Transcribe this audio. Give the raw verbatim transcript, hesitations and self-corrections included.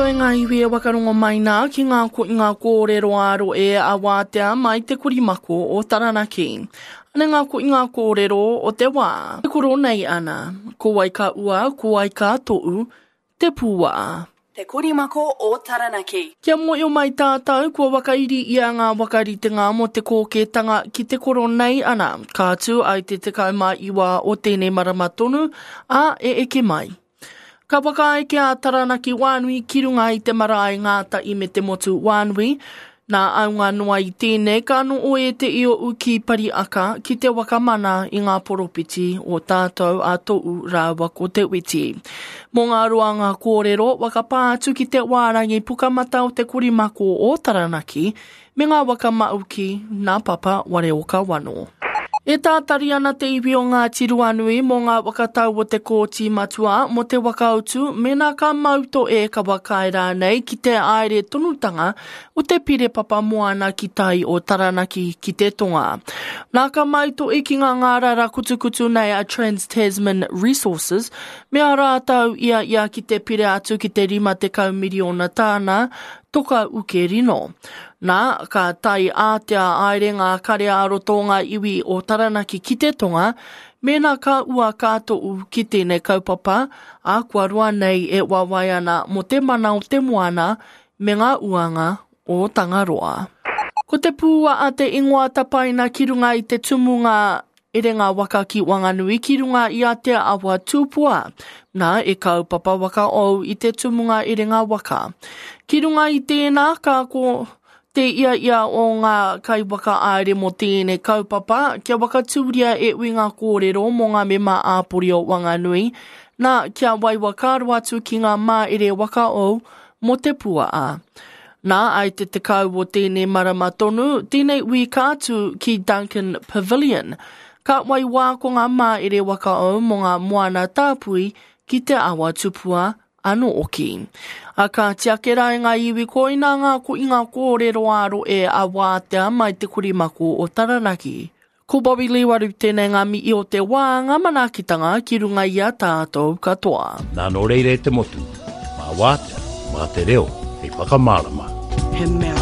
e ngā iwi e wakarongo mai nā ki ngā ko ngā kōrero āro e a wātea mai te korimako o Taranaki. Ane ngā ko ngā kōrero o te wā. Te koro nei ana, ko wai ka ua, ko wai ka to'u, te pūā. Te Korimako o Taranaki. Kia mōhio mai tātou, kua wakairi ia ngā wakaritenga mō te kōkētanga ki te koro nei ana, ka tū ai te tekau mā iwa o tēnei marama tonu, ā, e eke mai. Ka whakaeke a Taranaki Wānui ki runga i te marae Ngātahi me te motu Wānui. Nā aunga noa i tēnei ka noho e te io ki Pariaka ki te wakamana i ngā poropiti o tātou a To'u rāua ko Te Witi. Mō ngā roanga kōrero, wakapā atu ki te wārangi pukamata o te korimako o Taranaki me ngā waka mauki nā Papa Wareoka Wano. E tātari ana te iwi o Ngāti Ruanui mō ngā wakatau o te kōti matua mō te wakautu mēnā ka mau to e ka whakaae rānei ki te aere tonutanga o te pire papa moana ki tai o Taranaki ki te tonga. Nā ka mau to e ki ngā ngārara kutukutu nei a Trans-Tasman Resources me a rātou ia ia ki te pire atu ki te rima tekau miriona tāna toka uke rino. Nā, ka tai ātea aere ngā kare ā-roto o ngā iwi o Taranaki ki te tonga, mēnā ka ua ka to'u ki tēnei kaupapa, ā, kua roa nei e wawae ana mō te mana o te moana me ngā uanga o Tangaroa. Ko te pūaa te ingoa tapaina ki runga i te tumunga Erenga waka ki Wanganui ki runga i a Te Awa Tupua. Nā, e kaupapa waka ou i te tumunga erenga waka. Ki runga i tēnā, ka ko te ia ia o ngā kaiwaka aere mō tēnei kaupapa, kia wakatūria e ui ngā kōrero mō ngā mema āpori o Wanganui, nā, kia waiwakaaro atu ki ngā māere waka ou mō te puaa. Nā, ai te tekau o tēnei marama tonu, tēnei ui ka atu ki Duncan Pavilion. Ka wai wā ko ngā māere waka ou mō ngā moana tāpui ki te awa tupua anō oki. A ka tiake rā i ngā iwi koina ngā ko i ngā kōrero āro e a wātea mai te korimako o Taranaki. Ko Bobby Liwaru tēnei ngā mihi o te wā, ngā manaakitanga ki runga i a tātou katoa. Nā nō reira e te motu, mā wātea, mā te reo, hei whakamārama. He mea